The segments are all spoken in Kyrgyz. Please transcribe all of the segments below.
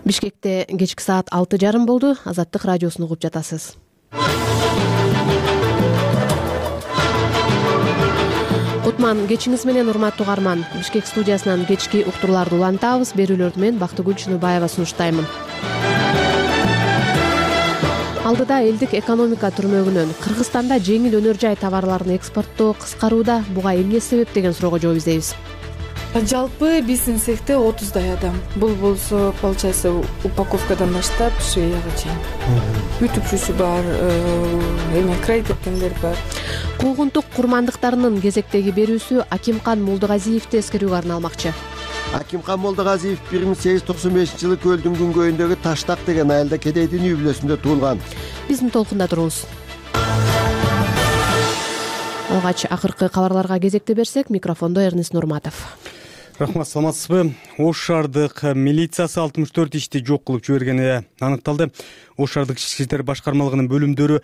Бишкекте кечки саат 6:30 болду. Азаттык радиосун угуп жатасыз. Кутман кечиңиз менен, урматтуу угарман. Бишкек студиясынан кечки уктурууларды улантабыз. Берүүлөрдү мен Бактыгүл Чыныбаева сунуштаймын. Алдыда элдик экономика түрмөгүнөн Кыргызстанда жеңил өнөр жай товарларын экспорттоо кыскарууда. Буга эмне себеп деген суроого жооп издейбиз. Жалпы биздин цехте 30 адам. Бул болсо, получается, упаковкадан баштап швеяга чейин. Бүтүкчүсү бар, край тепкендер бар. Куугунтук курмандыктарынын кезектеги берүүсү Акимкан Молдогазиевди эскерүүгө арналмакчы. Акимкан Молдогазиев 1895-жылы көлдүн күнгөйүндөгү Таштак деген айылда кедейдин үй бүлөсүндө туулган. Биздин толкунда туруңуз. Алгач акыркы кабарларга кезекти берсек, микрофондо Эрнис Нурматов. Рахмат, саламатсызбы? Ош шаардык милициясы 64 ишти жок кылып жибергени аныкталды. Ош шаардык ички иштер башкармалыгынын бөлүмдөрү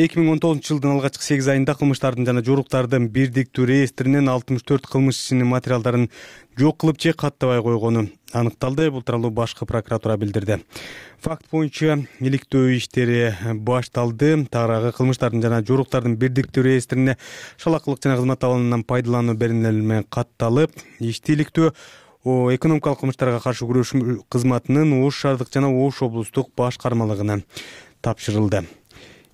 2019-жылдын алгачкы 8 айында кылмыштардын жана жоруктардын бирдиктүү реестринен 64 кылмыш ишинин материалдарын жок кылып же каттабай койгону аныкталды. Бул тууралуу башкы прокуратура билдирди. Факт боюнча иликтөө иштери башталды. Тагыраагы кылмыштардын жана жоруктардын бирдиктүү реестрине шалакылык жана кызмат абалынан пайдалануу беренелери менен катталып, ишти иликтөө экономикалык кылмыштарга каршы күрөш кызматынын Ош шаардык жана Ош облустук башкармалыгына тапшырылды.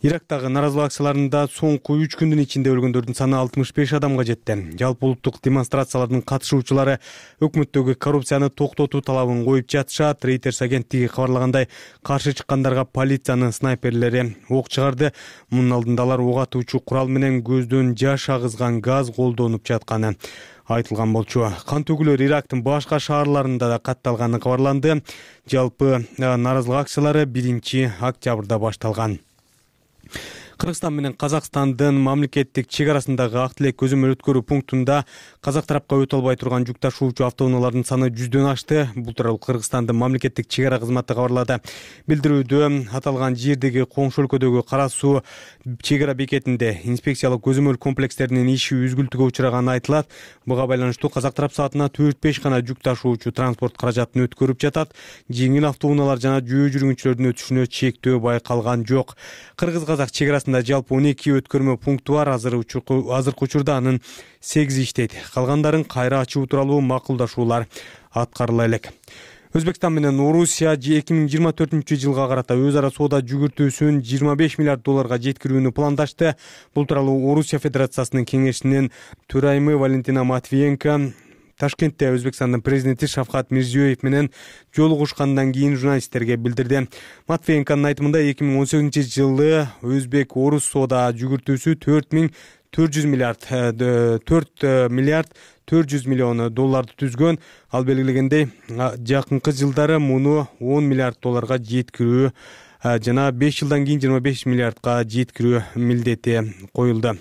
Ирактагы наразылык акцияларында соңку 3 күндүн ичинде өлгөндөрдүн саны 65 адамга жетти. Жалпы улуттук демонстрациялардын катышуучулары өкмөттөгү коррупцияны токтотуу талабын коюп жатышат. Reuters агенттиги кабарлагандай, каршы чыккандарга полициянын снайперлери ок чыгарды. Мунун алдында алар ок атуучу курал менен көздөн жаш агызган газ колдонуп жатканы айтылган болчу. Кан төгүүлөр Ирактын башка шаарларында да катталганы кабарланды. Жалпы наразылык акциялары 1-октябрда башталган. Кыргызстан менен Казакстандын мамлекеттик чек арасындагы ак тилек көзөмөл өткөрүү пунктунда казак тарапка өтө албай турган жүк ташуучу автоунаалардын саны 100дөн ашты. Бул тууралуу Кыргызстандын мамлекеттик чек ара кызматы кабарлады. Билдирүүдө аталган жердеги коңшу өлкөдөгү Кара суу чек ара бекетинде инспекциялык көзөмөл комплекстеринин иши үзгүлтүгө учураганы айтылат. Буга байланыштуу казак тарап саатына 4-5 гана жүк ташуучу транспорт каражатын өткөрүп жатат. Жеңил автоунаалар жана жөө жүргүнчүлөрдүн өтүшүнө чектөө байкалган жок. Кыргыз-казак чек арасында жалпы 12 өткөрмө пункту бар. Азыркы учурда анын 8 иштейт. Калгандарын кайра ачуу тууралуу макулдашуулар аткарыла элек. Өзбекстан менен Орусия 2024-жылга карата өз ара соода жүгүртүүсүн 25 миллиард долларга жеткирүүнү пландашты. Бул тууралуу Орусия Федерациясынын кеңешинин төрайымы Валентина Матвиенко Ташкентте Өзбекстандын президенти Шавкат Мирзиёев менен жолугушкандан кийин журналисттерге билдирди. Матвиенконун айтымында 2018-жылы Өзбек-Орус соода жүгүртүүсү 4 миллиард 400 миллион долларды түзгөн. Ал белгилегендей, жакынкы жылдары муну 10 миллиард долларга жеткирүү жана 5 жылдан кийин 25 миллиардга жеткирүү милдети коюлду.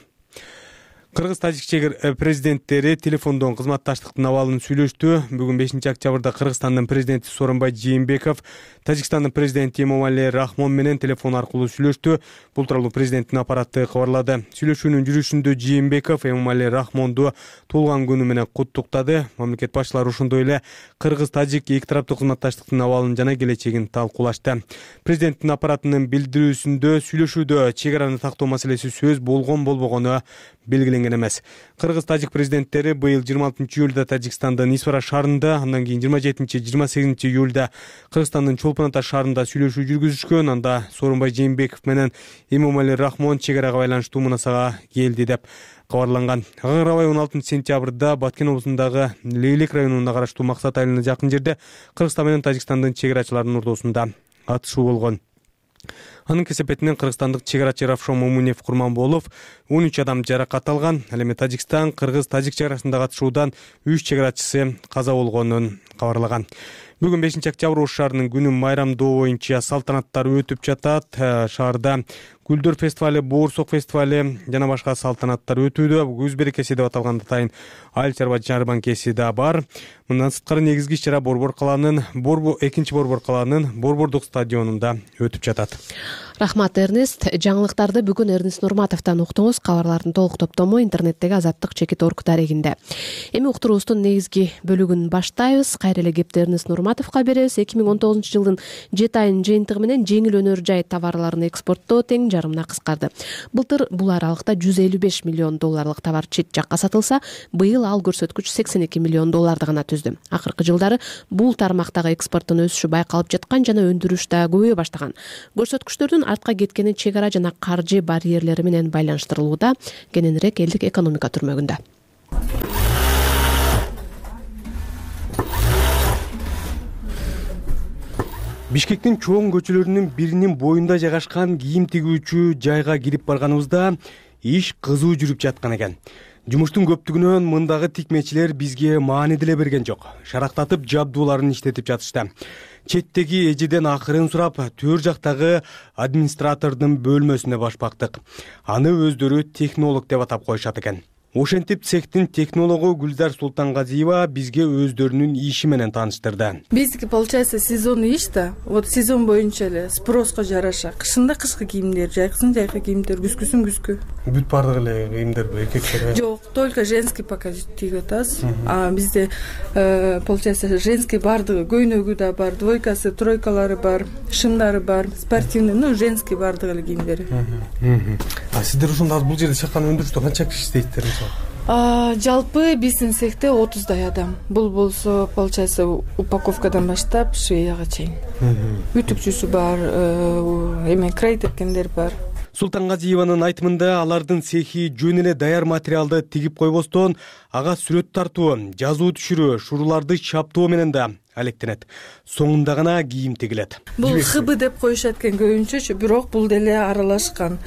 Кыргыз-тажик чек президенттери телефондон кызматташтыктын абалын сүйлөштү. Бүгүн 5-октябрда Кыргызстандын президенти Сооронбай Жээнбеков Тажикстандын президенти Эмомали Рахмон менен телефон аркылуу сүйлөштү. Бул тууралуу президенттин аппараты кабарлады. Сүйлөшүүнүн жүрүшүндө Жээнбеков Эмомали Рахмонду туулган күнү менен куттуктады. Мамлекет башчылары ошондой эле Кыргыз-тажик эки тараптуу кызматташтыктын абалын жана келечегин талкуулашты. Президенттин аппаратынын билдирүүсүндө сүйлөшүүдө чек араны тактоо маселеси сөз болгону белгиленген эмес. Кыргыз-тажик президенттери быйыл 26-июлда Тажикстандын Исфара шаарында, андан кийин 27-28 июлда Кыргызстандын Чолпон Ата шаарында сүйлөшүү жүргүзүшкөн. Анда Сооронбай Жээнбеков менен Эмомали Рахмон чек арага байланыштуу мунасага келди деп кабарланган. Ага карабай 16-сентябрда Баткен облусундагы Лейлек районуна караштуу Максат айылына жакын жерде Кыргызстан менен Тажикстандын чек арачыларынын ортосунда атышуу болгон. Анын кесепетинен кыргызстандык чек арачы Равшон Момунев Курманболов 13 адам жаракат алган. Ал эми Тажикстан Кыргыз-тажик чек арасындагы атышуудан 3 чек арачысы каза болгонун кабарлаган. Бүгүн 5-октябрь Ош шаарынын күнүн майрамдоо боюнча салтанаттар өтүп жатат. Шаарда Гүлдөр фестивали, Боорсок фестивали жана башка салтанаттар өтүүдө. Көз берекеси деп аталган атайын айыл чарба жарманкеси да бар. Мындан сырткары негизги иш-чара экинчи Борбор калаанын Борбордук стадионунда өтүп жатат. Рахмат, Эрнест. Жаңылыктарды бүгүн Эрнест Нурматовдон уктуңуз. Кабарлардын толук топтому интернеттеги Азаттык-Чекит.орг дарегинде. Эми уктуруубуздун негизги бөлүгүн баштайбыз. Кайра эле кепти Эрнест Нурматовго беребиз. 2019-жылдын 7 айынын жыйынтыгы менен жеңил өнөр жай товарларын экспорттоо тең жарымына кыскарды. Былтыр бул аралыкта $155 миллион товар чет жакка сатылса, быйыл ал көрсөткүч $82 миллион гана түздү. Акыркы жылдары бул тармактагы экспорттун өсүшү байкалып жаткан жана өндүрүш да көбөйө баштаган. Көрсөткүчтөрдүн артка кеткени чек ара жана каржы барьерлери менен байланыштырылууда. Кененирээк элдик экономика түрмөгүндө. Бишкектин чоң көчөлөрүнүн биринин боюнда жайгашкан кийим тигүүчү жайга кирип барганыбызда иш кызуу жүрүп жаткан экен. Жумуштун көптүгүнөн мындагы тикмечилер бизге маани деле берген жок. Шарактатып жабдууларын иштетип жатышты. Четтеги эжеден акырын сурап, төр жактагы администратордун бөлмөсүнө башпактык. Аны өздөрү технолог деп атап коюшат экен. Ошентип цехтин технологу Гүлзар Султангазиева бизге өздөрүнүн иши менен тааныштырды. Биздики получается сезонный иш да. Вот сезон боюнча эле спроско жараша кышында кышкы кийимдер, жайкысын жайкы кийимдер, күзгүсүн күзгү. Бүт бардык эле кийимдер эркектер? Жок, только женский пока тигип атабыз. А бизде получается женский бардыгы, көйнөгү да бар, двойкасы, тройкалары бар, шымдары бар, спортивный, женский бардык эле кийимдери. А сиздер ушунда бул жерде чакан өндүрүштө канча киши иштейсиздер? Жалпы биздин цехте 30 адам. Бул болсо получается упаковкадан баштап швеяга чейин. Үтүкчүсү бар, крей тепкендер бар. Султангазиеванын айтымында алардын цехи жөн эле даяр материалды тигип койбостон, ага сүрөт тартуу, жазуу түшүрүү, шуруларды чаптоо менен да алектенет. Соңунда гана кийим тигилет. Бул хыбы деп коюшат экен көбүнчөчү, бирок бул деле аралашкан.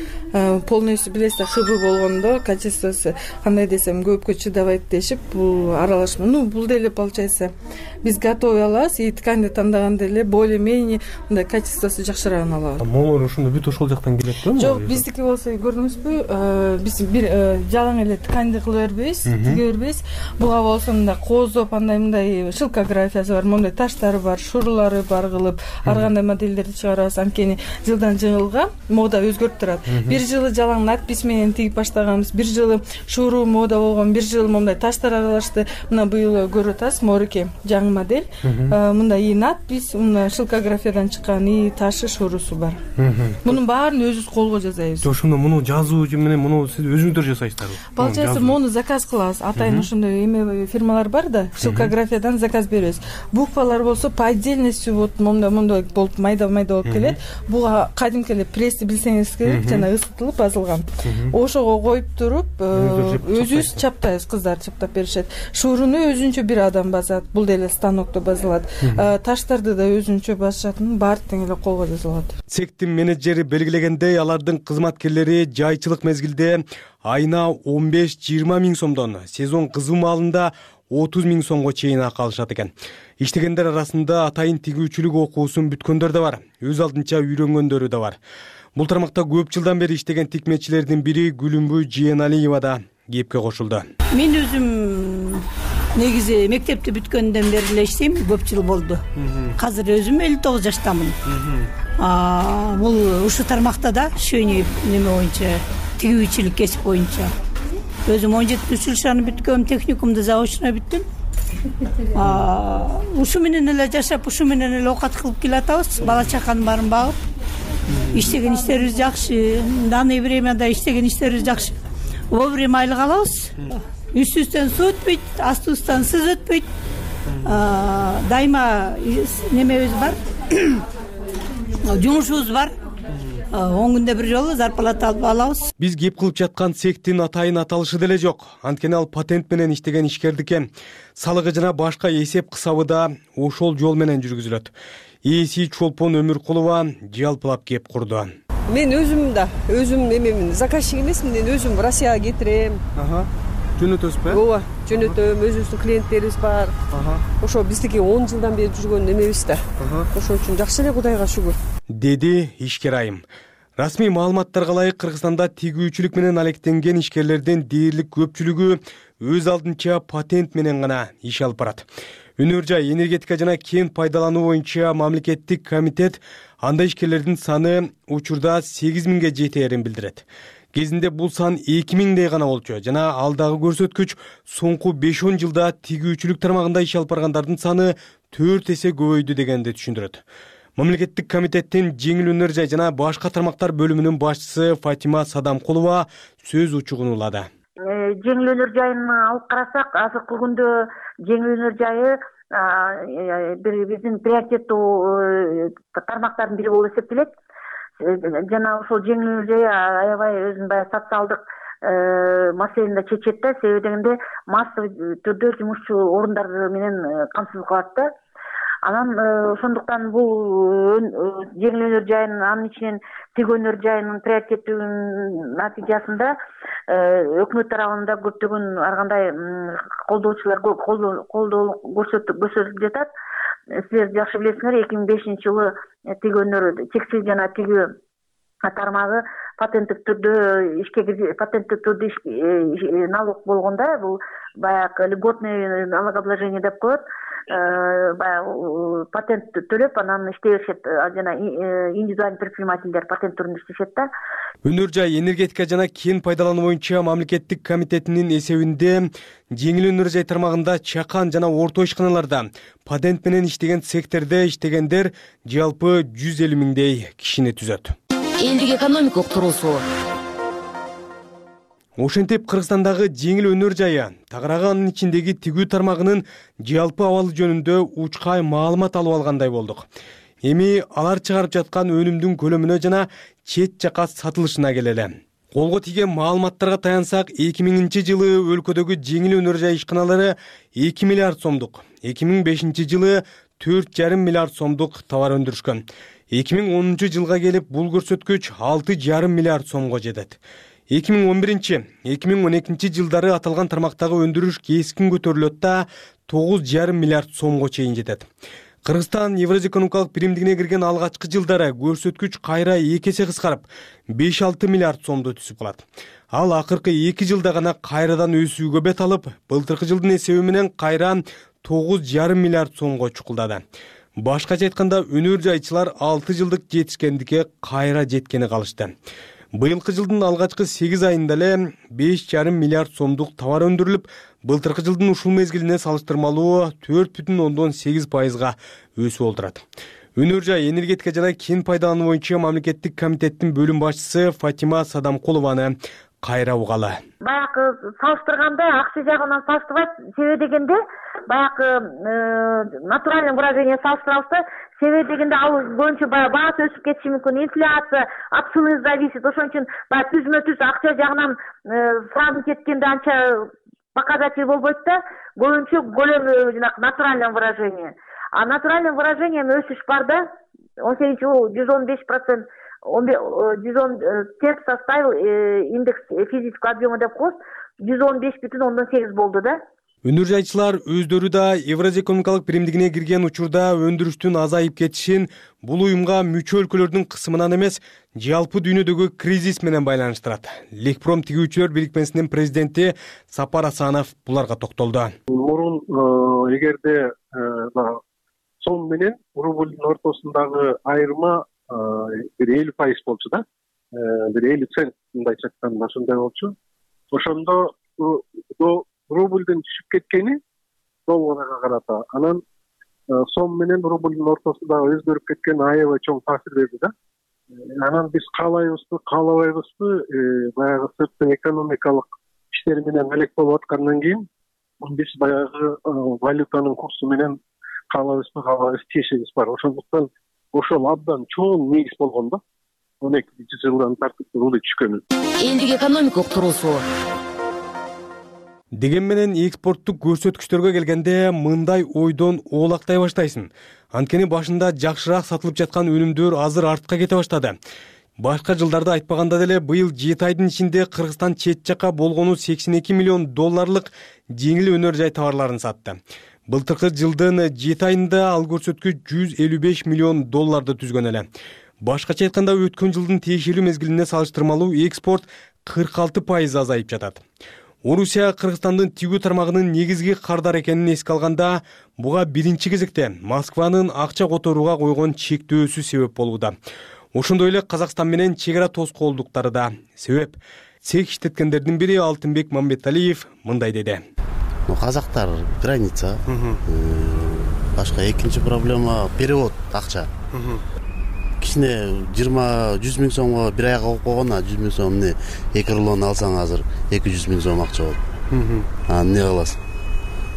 Полностью билесиз, хыбы болгондо качествосу кандай десем көпкө чыдабайт дешип, бул аралашма. Бул деле получается биз готовый алабыз, и тканьды тандаганда эле более-менее мындай качествосу жакшыраагын алабыз. Могулар ошондо бүт ошол жактан келет да? Жок, биздики болсо көрдүңүзбү, биз бир жалаң эле тканьды кылып бербейбиз, тиге бербейбиз. Буга болсо мындай кооздоп, андай шилкографиясы бар, мындай таштары бар, шурулары бар кылып, ар кандай модельдерди чыгарабыз. Анткени жылдан жылга мода өзгөрүп турат. Бир жылы жалаң надпись менен тигип баштаганбыз, бир жылы шуруу мода болгон, бир жылы мындай таштар аралашты. Мына быйыл көрүп атасыз, Морике жаңы модель. Мындай и надпись, мына шилкографиядан чыккан и ташы, шуруусу бар. Мунун баарын өзүбүз колго жасайбыз. Ошондо муну жазуу менен муну сиз өзүңүздөр жасайсыздарбы? Получается, муну заказ кылабыз. Атайын ошондой эме фирмалар бар да, шилкографиядан заказ беребиз. Буквалар болсо по отдельности вот мондой болуп майда болуп келет. Буга кадимки эле пресси билсеңиз керек, жана ысытылып басылган. Ошого коюп туруп, өзүбүз чаптайбыз, кыздар чаптап беришет. Шууруну өзүнчө бир адам басат, бул деле станокто басылат. Таштарды да өзүнчө басышатын, баары тең эле колго жасалат. Цехтин менеджери белгилегендей, алардын кызматкерлери жайчылык мезгилде айына 15-20 миң сомдон, сезон кызуу маалында 30 миң сомго чейин акы алышат экен. Иштегендер арасында атайын тигүүчүлүк окуусун бүткөндөр да бар, өз алдынча үйрөнгөндөрү да бар. Бул тармакта көп жылдан бери иштеген тикмечилердин бири Гүлүмбү Жиеналиева да кепке кошулду. Мен өзүм негизи мектепти бүткөндөн бери эле иштейм, көп жыл болду. Азыр өзүм 59 жаштамын. Бул ушу тармакта да шөйнөй неме боюнча, тигүүчүлүк кесип боюнча. Өзүм 17-жыл бүткөм, техникумду заочно бүттүм. Ушу менен эле жашап, ушу менен эле оокат кылып келатабыз. Бала чаканын баарын багып, иштеген иштерибиз жакшы, данное времяда иштеген иштерибиз жакшы. Вовремя айлык алабыз. Үстүбүздөн суу өтпөйт, астыбыздан сыз өтпөйт. Дайыма немебиз бар, жумушубуз бар. 10 күндө бир жолу зарплата алабыз. Биз кеп кылып жаткан цехтин атайын аталышы деле жок. Анткени ал патент менен иштеген ишкердики. Салыгы жана башка эсеп кысабы да ошол жол менен жүргүзүлөт. Ээси Чолпон Өмүркулова жалпылап кеп курду. Мен өзүм эмемин, заказчик эмесмин, мен өзүм Россияга кетирем. Жөнөтөсүзбү? Ооба, жөнөтөм, өзүбүздүн клиенттерибиз бар. Ошо биздики 10 жылдан бери жүргөн эмебиз да. Ошол үчүн жакшы эле, Кудайга шүгүр. Деди ишкер айым. Расмий маалыматтарга ылайык Кыргызстанда тигүүчүлүк менен алектенген ишкерлердин дээрлик көпчүлүгү өз алдынча патент менен гана иш алып барат. Өнөр жай, энергетика жана кен пайдалануу боюнча мамлекеттик комитет андай ишкерлердин саны учурда 8000ге жетээрин билдирет. Кезинде бул сан 2000дей гана болчу жана алдагы көрсөткүч соңку 5-10 жылда тигүүчүлүк тармагында иш алып баргандардын саны 4 эсе көбөйдү дегенди түшүндүрөт. Мамлекеттик комитеттин жеңил өнөр жай жана башка тармактар бөлүмүнүн башчысы Фатима Садамкулова сөз учугун улады. Жеңил өнөр жайын алып карасак, азыркы күндө жеңил өнөр жайы биздин приоритеттүү тармактардын бири болуп эсептелет. Жана ошол жеңил өнөр жайы аябай өзүнүн баягы социалдык маселени да чечет да, себеби дегенде массовый түрдө жумушчу орундар менен камсыз кылат да. Анан ошондуктан бул жеңил өнөр жайынын анын ичинен тиг өнөр жайынын приоритеттүүнүн натыйжасында өкмөт тарабында көптөгөн ар кандай колдоочулар колдоо көрсөтүлүп жатат. Силер жакшы билесиңер, 2005-жылы тиг өнөр текстиль жана тигүү тармагы патенттик түрдө налог болгондо, бул баягы льготный налогообложение деп коет. Баягы патент төлөп анан иштей беришет жана индивидуальный предпринимательдер патент түрүндө иштешет да. Өнөр жай, энергетика жана кен пайдалануу боюнча мамлекеттик комитетинин эсебинде жеңил өнөр жай тармагында чакан жана орто ишканаларда патент менен иштеген цехтерде иштегендер жалпы 150 миңдей кишини түзөт. Элдик экономика уктуруусу. Ошентип Кыргызстандагы жеңил өнөр жайы тагыраагы анын ичиндеги тигүү тармагынын жалпы абалы жөнүндө учкай маалымат алып алгандай болдук. Эми алар чыгарып жаткан өнүмдүн көлөмүнө жана чет жака сатылышына келели. Колго тийген маалыматтарга таянсак, 2000-жылы өлкөдөгү жеңил өнөр жай ишканалары 2 миллиард сомдук, 2005-жылы 4,5 миллиард сомдук товар өндүрүшкөн. 2010-жылга келип бул көрсөткүч 6,5 миллиард сомго жетет. 2011-2012 жылдары аталган тармактагы өндүрүш кескин көтөрүлөт да 9,5 миллиард сомго чейин жетет. Кыргызстан Евразия экономикалык биримдигине кирген алгачкы жылдары көрсөткүч кайра 2 эсе кыскарып 5,6 миллиард сомду түзүп калат. Ал акыркы 2 жылда гана кайрадан өсүүгө бет алып, былтыркы жылдын эсеби менен кайра 9,5 миллиард сомго чукулдады. Башкача айтканда, өнөр жайчылар 6 жылдык жетишкендикке кайра жеткени калышты. Быйылкы жылдын алгачкы 8 айында эле 5,5 миллиард сомдук товар өндүрүлүп, былтыркы жылдын ушул мезгилине салыштырмалуу 4,8%га өсүү болтурат. Өнөр жай, энергетика жана кен пайдалануу боюнча мамлекеттик комитеттин бөлүм башчысы Фатима Садамкулованы кайра угалы. Баягы салыштырганда акча жагынан салыштырбайт, себеби дегенде баягы натуральный выражение салыштырабыз. Себеби дегенде ал боюнча баасы өсүп кетиши мүмкүн, инфляция от цены зависит. Ошон үчүн баягы түзмө-түз акча жагынан сразу кеткенде анча показатель болбойт да, көбүнчө көлөмү жанагы натуральный выражение. А натуральный выражение өсүш бар да, 18-жыл 115%, 110 терк составил индекс физического объема деп коебуз, 115,8 болду да. Өнөр жайчылар өздөрү да Евразия экономикалык биримдигине кирген учурда өндүрүштүн азайып кетишин бул уюмга мүчө өлкөлөрдүн кысымынан эмес, жалпы дүйнөдөгү кризис менен байланыштырат. Лекпром тигүүчүлөр бирикмесинин президенти Сапар Асанов буларга токтолду. Мурун эгерде сом менен рублдун ортосундагы айырма бир 50% болчу да, бир 50 цент мындайча айтканда ошондой болчу. Ошондо рублдун түшүп кеткени долларга карата, анан сом менен рублдун ортосунда өзгөрүп кеткен аябай чоң таасир берди да. Анан биз каалайбызбы, каалабайбызбы, баягы сырттын экономикалык иштери менен алек болуп аткандан кийин биз баягы валютанын курсу менен каалабызбы, каалабайбыз тиешебиз бар. Ошондуктан ошол абдан чоң негиз болгон да. 12 жылдан тартып рубль түшкөнү. Элдик экономика уктуруусу. Деген менен экспорттук көрсөткүчтөргө келгенде мындай ойдон оолактай баштайсың. Анткени башында жакшыраак сатылып жаткан өнүмдөр азыр артка кете баштады. Башка жылдарда айтпаганда деле быйыл 7 айдын ичинде Кыргызстан чет жака болгону $82 миллион жеңил өнөр жай товарларын сатты. Былтыркы жылдын 7 айында ал көрсөткүч $155 миллион түзгөн эле. Башкача айтканда өткөн жылдын тиешелүү мезгилине салыштырмалуу экспорт 46% азайып жатат. Орусия Кыргызстандын тигүү тармагынын негизги кардар экенин эске алганда, буга биринчи кезекте Москванын акча которууга койгон чектөөсү себеп болууда. Ошондой эле Казакстан менен чек ара тоскоолдуктары да себеп. Цех иштеткендердин бири Алтынбек Мамбеталиев мындай деди. Казактар граница. Башка экинчи проблема перевод акча. Кичине 20-100 миң сомго бир айга коюп койгон, 100 миң сом эмне 2 рулон алсаң азыр 200 миң сом акча болот. Эмне кыласың?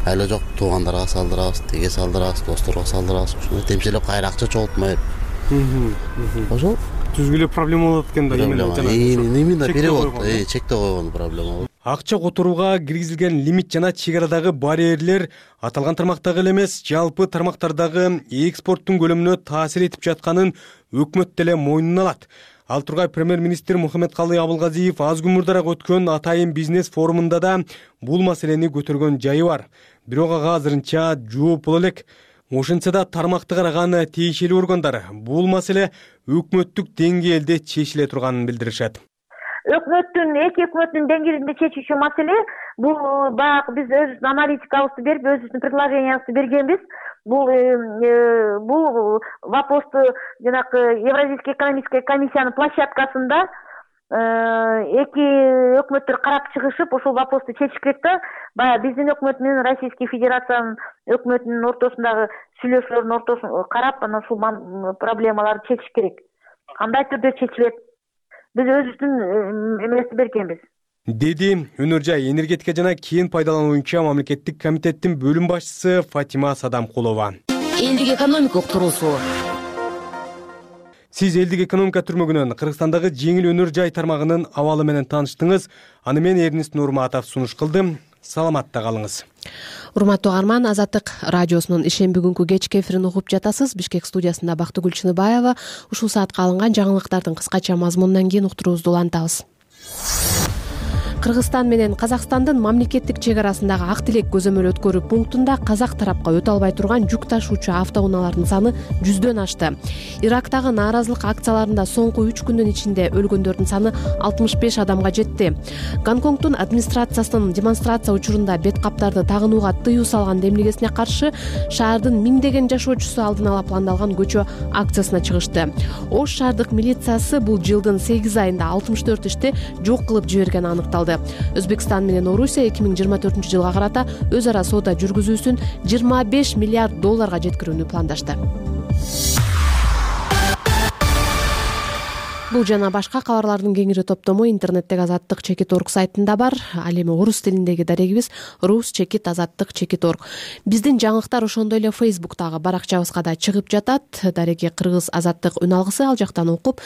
Айла жок, туугандарга салдырабыз, теге салдырабыз, досторго салдырабыз. Ошондой темселеп кайра акча чогултмай. Ошол түзгүлө проблема болот экен да. Именно перевод, чекте койгон проблема болот. Акча которууга киргизилген лимит жана чек арадагы барьерлер аталган тармактагы эле эмес, жалпы тармактардагы экспорттун көлөмүнө таасир этип жатканын өкмөт деле мойнуна алат. Ал тургай премьер-министр Мухаммедкалый Абылгазиев аз күн мурдараак өткөн Атайын бизнес форумунда да бул маселени көтөргөн жайы бар. Бирок ага азырынча жооп боло элек. Ошентсе да тармакты караган тиешелүү органдар бул маселе өкмөттүк деңгээлде чечиле турганын билдиришет. Эки өкмөттүн деңгээлинде чечүүчү маселе бул баягы биз өзүбүздүн аналитикабызды берип, өзүбүздүн предложениябызды бергенбиз. Бул вопросту жанагы Евразийский экономический комиссиянын площадкасында эки өкмөттөр карап чыгышып, ошол вопросту чечиш керек да. Баягы биздин өкмөт менен Российский Федерациянын өкмөтүнүн ортосундагы сүйлөшүүлөрдүн ортосун карап, анан ушул проблемаларды чечиш керек. Кандай түрдө чечилет? Биз өзүбүздүн эмебизди бергенбиз. Деди Өнөр жай энергетика жана кен пайдалануу боюнча мамлекеттик комитеттин бөлүм башчысы Фатима Садамкулова. Элдик экономика уктуруусу. Сиз элдик экономика түрмөгүнөн Кыргызстандагы жеңил өнөр жай тармагынын абалы менен тааныштыңыз. Аны мен Эрнист Нурматов сунуш кылдым. Саламатта калыңыз. Урматтуу угарман, Азаттык радиосунун ишемби күнкү кечки эфирин угуп жатасыз. Бишкек студиясында Бактыгүл Чыныбаева. Ушул саатка алынган жаңылыктардын кыскача мазмунунан кийин уктуруубузду улантабыз. Кыргызстан менен Казакстандын мамлекеттик чек арасындагы Ак Тилек көзөмөл өткөрүү пунктунда казак тарапка өтө албай турган жүк ташуучу автоунаалардын саны 100дөн ашты. Ирактагы нааразылык акцияларында соңку 3 күндүн ичинде өлгөндөрдүн саны 65 адамга жетти. Гонконгдун администрациясынын демонстрация учурунда бет каптарды тагынууга тыюу салган демилгесине каршы шаардын миңдеген жашоочусу алдын ала пландалган көчө акциясына чыгышты. Ош шаардык милициясы бул жылдын 8 айында 64 ишти жок кылып жибергени аныкталды. Өзбекстан менен Орусия 2024-жылга карата өз ара соода жүргүзүүсүн 25 миллиард долларга жеткирүүнү пландашты. Бул жана башка кабарлардын кеңири топтому интернеттеги Азаттык.org сайтында бар. Ал эми орус тилиндеги дарегибиз rus.azаттык.org. Биздин жаңылыктар ошондой эле Facebook'тагы баракчабызга да чыгып жатат. Дареги кыргыз Азаттык үн алгысы, ал жактан окуп,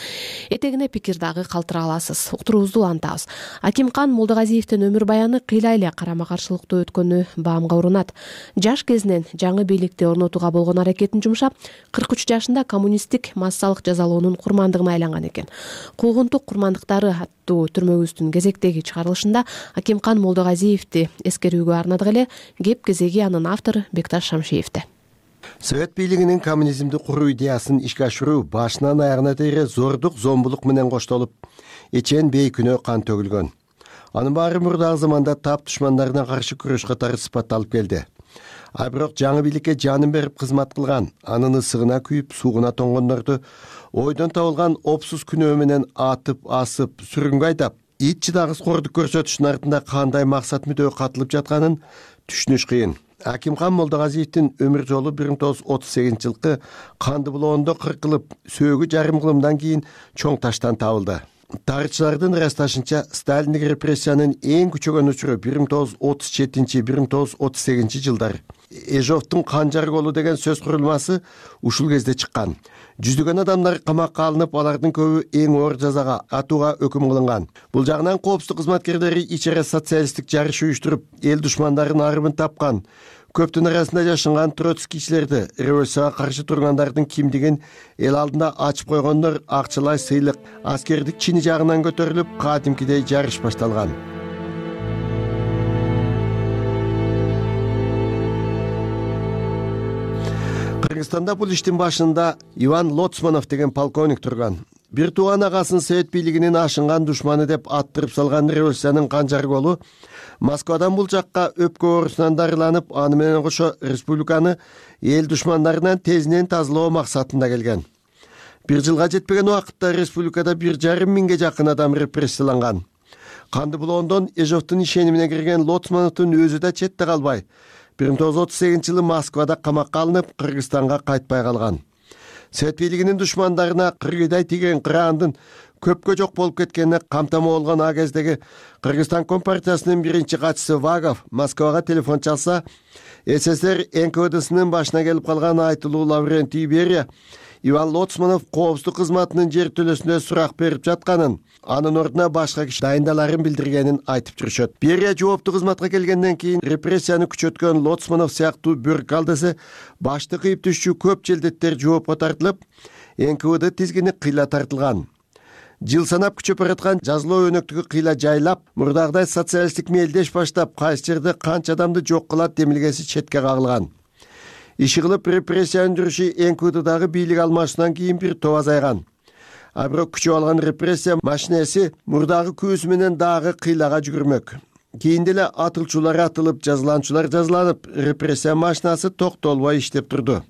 этегине пикир дагы калтыра аласыз. Уктуруубузду улантабыз. Акимкан Молдогазиевдин өмүр баяны кыйла эле карама-каршылыктуу өткөнү баамга урунат. Жаш кезинен жаңы бийликти орнотууга болгон аракетин жумшап, 43 жашында коммунисттик массалык жазалоонун курмандыгына айланган экен. Куугунтук курмандыктары аттуу түрмөгүбүздүн кезектеги чыгарылышында Акимкан Молдогазиевди эскерүүгө арнадык эле. Кеп кезеги анын автору Бекташ Шамшиевде. Совет бийлигинин коммунизмди куруу идеясын ишке ашыруу башынан аягына тере зордук, зомбулук менен коштолуп, эчен бейкүнөө кан төгүлгөн. Анын баары мурдагы заманда тап душмандарына каршы күрөш катары сыпатталып келди. А бирок жаңы бийликке жанын берип кызмат кылган, анын ысыгына күйүп, суугуна тоңгондорду ойдон табылган опсуз күнөө менен атып, асып, сүргүнгө айдап, ит чыдагыс кордук көрсөтүштүн артында кандай максат мүдөө катылып жатканын түшүнүш кыйын. Акимкан Молдогазиевдин өмүр жолу 1938-жылкы канды булоондо кыркылып, сөөгү жарым кылымдан кийин чоң таштан табылды. Тарыхчылардын ырасташынча Сталиндик репрессиянын эң күчөгөн учуру 1937-1938 жылдар. Эжовдун канжар колу деген сөз курулмасы ушул кезде чыккан. Жүздөгөн адамдар камакка алынып, алардын көбү эң оор жазага атууга өкүм кылынган. Бул жагынан коопсуздук кызматкерлери ичере социалисттик жарыш уюштуруп, эл душмандарын арымын тапкан. Көптүн арасында жашынган троцкийчилерди, революцияга каршы тургандардын кимдигин эл алдында ачып койгондор акчалай сыйлык, аскердик чини жагынан көтөрүлүп, кадимкидей жарыш башталган. Кыргызстанда бул иштин башында Иван Лоцманов деген полковник турган. Бир тууган агасын Совет бийлигинин ашынган душманы деп аттырып салган революциянын канжар колу Москвадан бул жакка өпкө оорусунан дарыланып, аны менен кошо республиканы эл душмандарынан тезинен тазалоо максатында келген. Бир жылга жетпеген убакытта республикада 1,5 миңге жакын адам репрессияланган. Канды булоондон Эжовдун ишенимине кирген Лоцмановдун өзү да четте калбай 1938-жылы Москвада камакка алынып, Кыргызстанга кайтпай калган. Совет бийлигинин душмандарына кыргыйдай тиген кыраандын көпкө жок болуп кеткенине камтама болгон а кездеги Кыргызстан компартиясынын биринчи катчысы Вагов Москвага телефон чалса, СССР НКВДсынын башына келип калган айтылуу Лаврентий Берия Иван Лоцманов коопсуздук кызматынын жер төлөсүнө сурак берип жатканын, анын ордуна башка киши дайындаларын билдиргенин айтып жүрүшөт. Берия жооптуу кызматка келгенден кийин репрессияны күчөткөн Лоцманов сыяктуу бюрократсы башты кыйып түшчү көп желдеттер жоопко тартылып, НКВД тизгини кыйла тартылган. Жыл санап күчөп бараткан жазылуу өнөктүгү кыйла жайлап, мурдагыдай социалисттик мелдеш баштап, кайсы жерде канча адамды жок кылат демилгеси четке кагылган. Иши кылып репрессия өндүрүшү НКВДдагы бийлик алмашуудан кийин бир топ азайган. А бирок күчөп алган репрессия машинеси мурдагы күбүсү менен дагы кыйлага жүгүрмөк. Кийин деле атылчулар атылып, жазыланчулар жазыланып, репрессия машинасы токтолбой иштеп турду.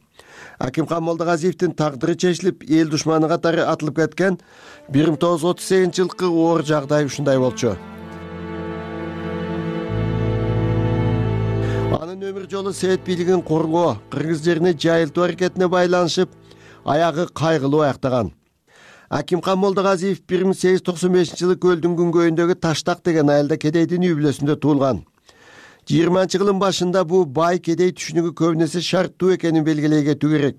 Акимхан Молдогазиевдин тагдыры чечилип, эл душманы катары атылып кеткен 1938-жылкы оор жагдай ушундай болчу. Анын өмүр жолу Совет бийлигин коргоо, кыргыз жерине жайылтуу аракетине байланышып, аягы кайгылуу аяктаган. Акимхан Молдогазиев 1895-жылы көлдүн күнгөйүндөгү Таштак деген айылда кедейдин үй бүлөсүндө туулган. 20-жылдын башында бул бай кедей түшүнүгү көбүнесе шарттуу экенин белгилей кетүү керек.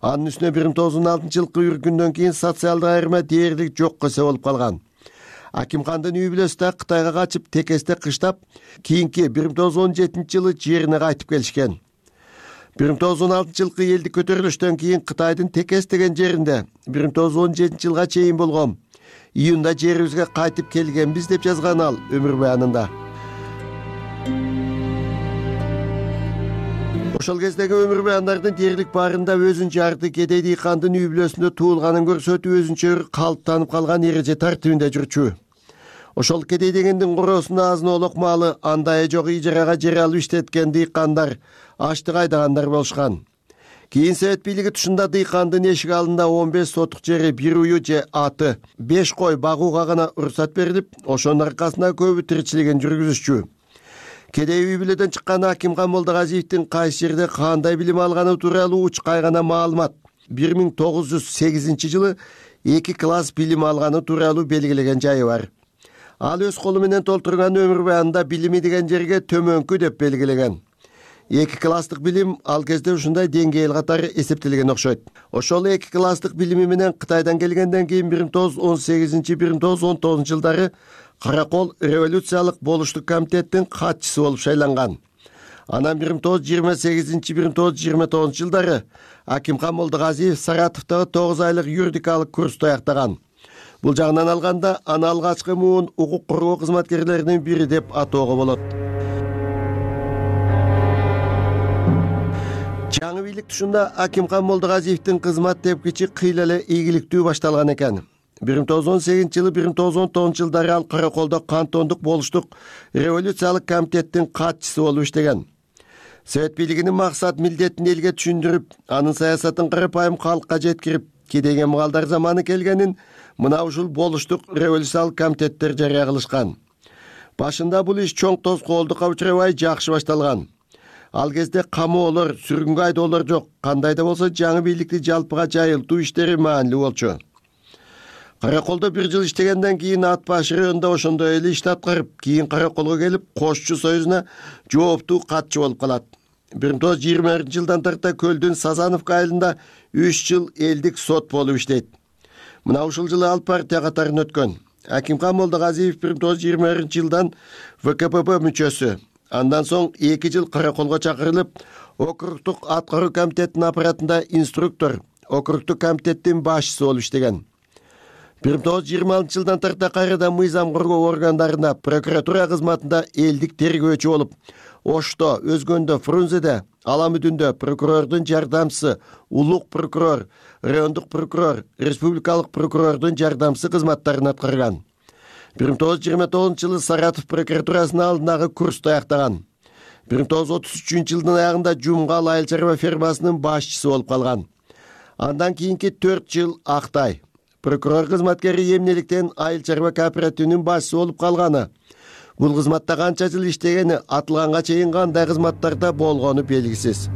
Анын үстүнө 1916-жылкы үркүндөн кийин социалдык айырма дээрлик жокко болуп калган. Акимхандын үй бүлөсү да Кытайга качып, текесте кыштап, кийинки 1917-жылы жерине кайтып келишкен. 1916-жылкы элдик көтөрүлүштөн кийин Кытайдын Текес деген жеринде 1917-жылга чейин болгон июнда жерибизге кайтып келгенбиз деп жазган ал өмүр баянында. Ошол кездеги өмүр баяндардын дээрлик баарында өзүн жарды кедей дыйкандын үй бүлөсүндө туулганын көрсөтүп, өзүнчө калыптанып калган эреже тартибинде жүрчү. Ошол кедей дегендин короосунда азын-олок малы, андайы жок ижарага жер алып иштеткен дыйкандар, аштык айдагандар болушкан. Кийин Совет бийлиги тушунда дыйкандын эшик алдында 15 сотук жери, бир уyu же аты, 5 кой багууга гана уруксат берилип, ошонун аркасында көбү тиричилигин жүргүзүшчү. Кедей үй бүлөдөн чыккан Акимхан Молдогазиевдин кайсы жерде кандай билим алганы тууралуу уч кайгана маалымат 1908-жылы 2 класс билим алганы тууралуу белгилеген жайы бар. Ал өз колу менен толтурган өмүр баянында билими деген жерге төмөнкү деп белгилеген. 2 класстык билим ал кезде ушундай деңгээл катары эсептелген окшойт. Ошол 2 класстык билими менен Кытайдан келгенден кийин 1918-1919 жылдары Каракол революциялык болуштук комитеттин катчысы болуп шайланган. Анан 1928-1929 жылдары Акимхан Молдогазиев Саратовдогу 9 айлык юридикалык курсту аяктаган. Бул жагынан алганда аны алгачкы муун укук коргоо кызматкерлеринин бири деп атоого болот. Жаңы бийлик тушунда Акимхан Молдогазиевдин кызмат тепкичи кыйла эле ийгиликтүү башталган экен. 1918-жылы 1919 жылдары ал Караколдо кантондук болуштук революциялык комитеттин катчысы болуп иштеген. Совет бийлигинин максат милдетин элге түшүндүрүп, анын саясатын карапайым калкка жеткирип, кедейге мыгалдар заманы келгенин мына ушул болуштук революциялык комитеттер жарыя кылышкан. Башында бул иш чоң тоскоолдукка учурабай жакшы башталган. Ал кезде камоолор, сүргүнгө айдоолор жок. Кандай да болсо жаңы бийликти жалпыга жайылтуу иштери маанилүү болчу. Караколдо 1 жыл иштегенден кийин ат башы районунда ошондой эле ишти аткарып, кийин Караколго келип, Кошчу союзуна жооптуу катчы болуп калат. 1920-жылдан тарта Көлдүн Сазановка айылында 3 жыл элдик сот болуп иштейт. Мына ушул жылы ал партия катарын өткөн. Акимхан Молдогазиев 1920-жылдан ВКПБ мүчөсү. Андан соң 2 жыл Караколго чакырылып, округтук аткаруу комитетинин аппаратында инструктор, округтук комитеттин башчысы болуп иштеген. 1926-жылдан тарта кайрадан мыйзам коргоо органдарында прокуратура кызматында элдик тергөөчү болуп, Ошто, Өзгөндө, Фрунзеде, Аламүдүндө прокурордун жардамчысы, улук прокурор, райондук прокурор, республикалык прокурордун жардамчысы кызматтарын аткарган. 1929-жылы Саратов прокуратурасынын алдындагы курсту аяктаган. 1933-жылдын аягында Жумгал айыл чарба фермасынын башчысы болуп калган. Андан кийинки 4 жыл Актай прокурор кызматкери эмнеликтен айыл чарба кооперативинин башчысы болуп калганы, бул кызматта канча жыл иштегени, атылганга чейин кандай кызматтарда болгону белгисиз.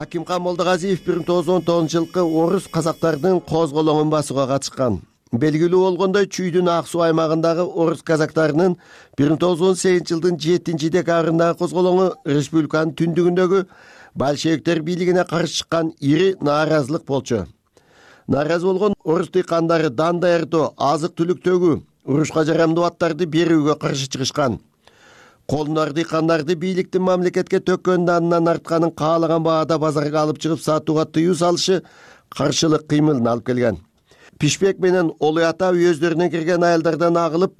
Акимкан Молдогазиев 1919-жылкы орус казактардын козголоңун басууга катышкан. Белгилүү болгондой, Чүйдүн Ак суу аймагындагы орус казактарынын 1918-жылдын 7-декабрындагы козголоңу республиканын түндүгүндөгү большевиктер бийлигине каршы чыккан ири нааразылык болчу. Нааразы болгон орус дыйкандары дан даярдоо, азык-түлүк төгүү, урушка жарамдуу аттарды берүүгө каршы чыгышкан. Колунар дыйкандарды бийликтин мамлекетке төккөн данынан артканын каалаган баада базарга алып чыгып сатууга тыюу салышы каршылык кыймылын алып келген. Пишпек менен Олуй ата өздөрүнө кирген айылдардан агылып,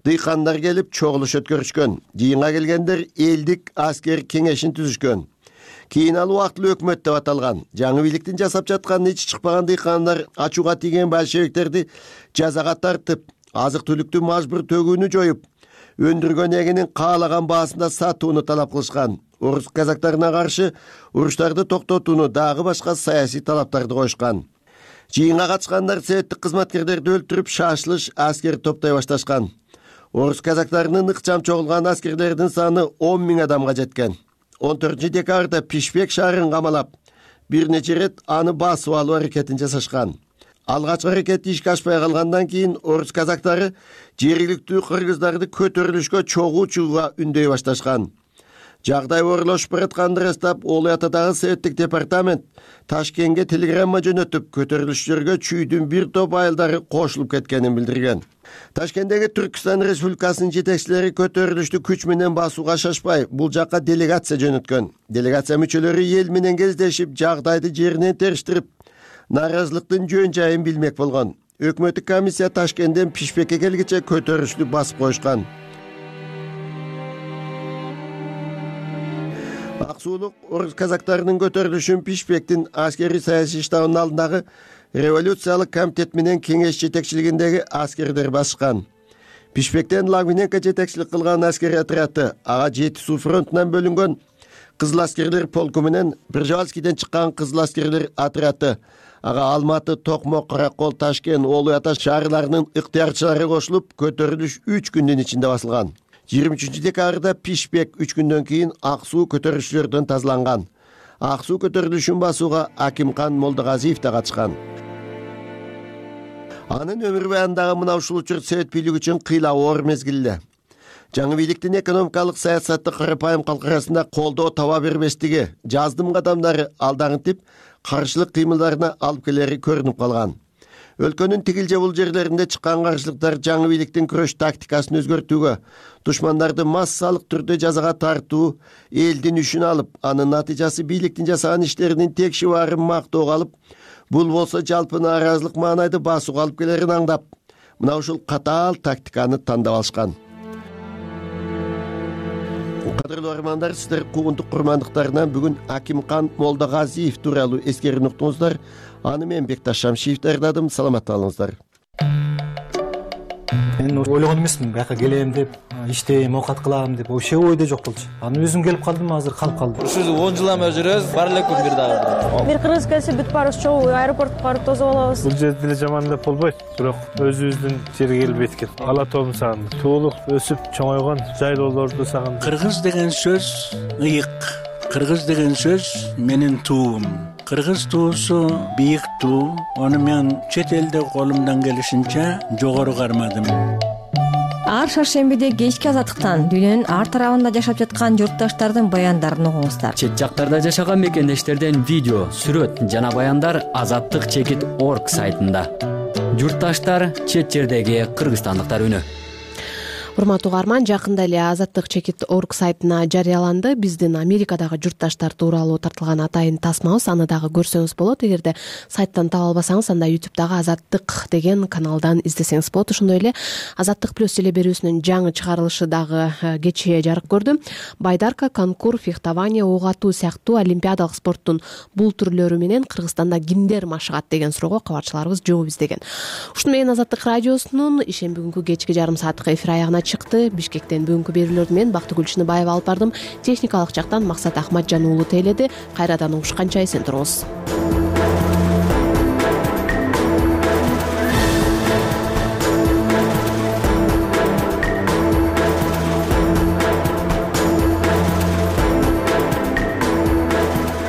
дыйкандар келип чогулуш өткөрүшкөн. Жыйынга келгендер элдик аскер кеңешин түзүшкөн. Кийин ал убактылуу өкмөт деп аталган. Жаңы бийликтин жасап жатканын ичи чыкпаган дыйкандар ачууга тийген большевиктерди жазага тартып, азык-түлүктү мажбур төгүүнү жоюп, өндүргөн эгинин каалаган баасында сатууну талап кылышкан. Орус казактарына каршы уруштарды токтотууну, дагы башка саясий талаптарды коюшкан. Жыйынга катышкандар советтик кызматкерлерди өлтүрүп, шашылыш аскер топтой башташкан. Орус казактарынын ыкчам чогулган аскерлердин саны 10 000 адамга жеткен. 14-декабрда Пишпек шаарын камалап, бир нече рет аны басып алуу аракетин жасашкан. Алгачкы аракет ишке ашпай калгандан кийин орус казактары жергиликтүү кыргыздарды көтөрүлүшкө чогуу чыгууга үндөй башташкан. Жагдай оорлошуп баратканды ырастап, Олуй атадагы советтик департамент Ташкентке телеграмма жөнөтүп, көтөрүлүшчүлөргө Чүйдүн бир топ айылдары кошулуп кеткенин билдирген. Ташкенттеги Түркстан Республикасынын жетекчилери көтөрүлүштү күч менен басууга шашпай, бул жакка делегация жөнөткөн. Делегация мүчөлөрү эл менен кездешип, жагдайды жеринен териштирип, нааразылыктын жөн жайын билмек болгон. Өкмөттүк комиссия Ташкенттен Пишпекке келгиче көтөрүлүштү басып коюшкан. Аксуулук орус казактарынын көтөрүлүшүн Пишпектин аскери саясий штабынын алдындагы революциялык комитет менен кеңеш жетекчилигиндеги аскерлер басышкан. Пишпектен Лагвиненко жетекчилик кылган аскери отряды, ага Жети суу фронтунан бөлүнгөн кызыл аскерлер полку менен Пржевальскийден чыккан кызыл аскерлер отряды, ага Алматы, Токмок, Каракол, Ташкент, Олуй ата шаарларынын ыктыярчылары кошулуп, көтөрүлүш 3 күндүн ичинде басылган. 23-декабрда Пишпек 3 күндөн кийин Ак суу көтөрүлүшчүлөрдөн тазаланган. Ак суу көтөрүлүшүн басууга Акимкан Молдогазиев да катышкан. Анын өмүр баяндагы мына ушул учур совет бийлиги үчүн кыйлау оор мезгилде. Жаңы бийликтин экономикалык саясатты карапайым калк арасында колдоо таба бербестиги, жаздым кадамдары алдаңытып, каршылык кыймылдарына алып келери көрүнүп калган. Өлкөнүн тигил же бул жерлеринде чыккан каршылыктар жаңы бийликтин күрөш тактикасын өзгөртүүгө, душмандарды массалык түрдө жазага тартуу, элдин үшүн алып, анын натыйжасы бийликтин жасаган иштеринин текши баарын мактоого алып, бул болсо жалпы нааразылык маанайды басууга алып келерин аңдап, мына ушул катаал тактиканы тандап алышкан. Кадырлуу армандар, сиздер куугунтук курмандыктарынан бүгүн Акимкан Молдогазиев тууралуу эскерүүнү уктуңуздар. Аны мен Бекташ Шамшиев даярдадым. Саламатта калыңыздар. Мен ойлогон эмесмин, бияка келем деп, иштейм, оокат кылам деп, вообще ойдо жок болчу. Аны өзүм келип калдым, азыр калып калдым. Ушул 10 жылдан бери жүрөбүз, бар элекпи бир дагы. Бир кыргыз келсе бүт баарыбыз чогуу аэропортко барып тосуп алабыз. Бул жерде деле жаман деп болбойт, бирок өзүбүздүн жерге келип эткен. Ала тоомун сагындым. Туулук, өсүп, чоңойгон жайлоолорду сагындым. Кыргыз деген сөз ыйык. Кыргыз деген сөз менин туум. Кыргыз туусу бийик туу. Аны мен чет элде колумдан келишинче жогору кармадым. Ар шаршембиде кечки азаттыктан дүйнөнүн ар тарабында жашап жаткан журтташтардын баяндарын угуңуздар. Чет жактарда жашаган мекендештерден видео, сүрөт жана баяндар azattik.org сайтында. Журтташтар, чет жердеги кыргызстандыктар үнү. урматтуу угарман, жакында эле azattik.org сайтына жарыяланды биздин Америкадагы журтташтар тууралуу тартылган атайын тасмабыз. Аны дагы көрсөңүз болот. Эгерде сайттан таба албасаңыз, анда YouTube'дагы Азаттык деген каналдан издесеңиз болот. Ошондой эле Азаттык плюс теле берүүсүнүн жаңы чыгарылышы дагы кечээ жарык көрдү. Байдарка, конкур, фехтование, ок атуу сыяктуу олимпиадалык спорттун бул түрлөрү менен Кыргызстанда кимдер машыгат деген суроого кабарчыларыбыз жооп издеген. Ушуну менен Азаттык радиосунун ишемби күнгү кечки жарым сааттык эфир аягына чыкты. Бишкектен бүгүнкү берүүлөрдү мен Бактыгүл Чыныбаева алып бардым. Техникалык жактан Максат Ахматжан уулу тейледи. Кайрадан угушканча эсен туруңуз.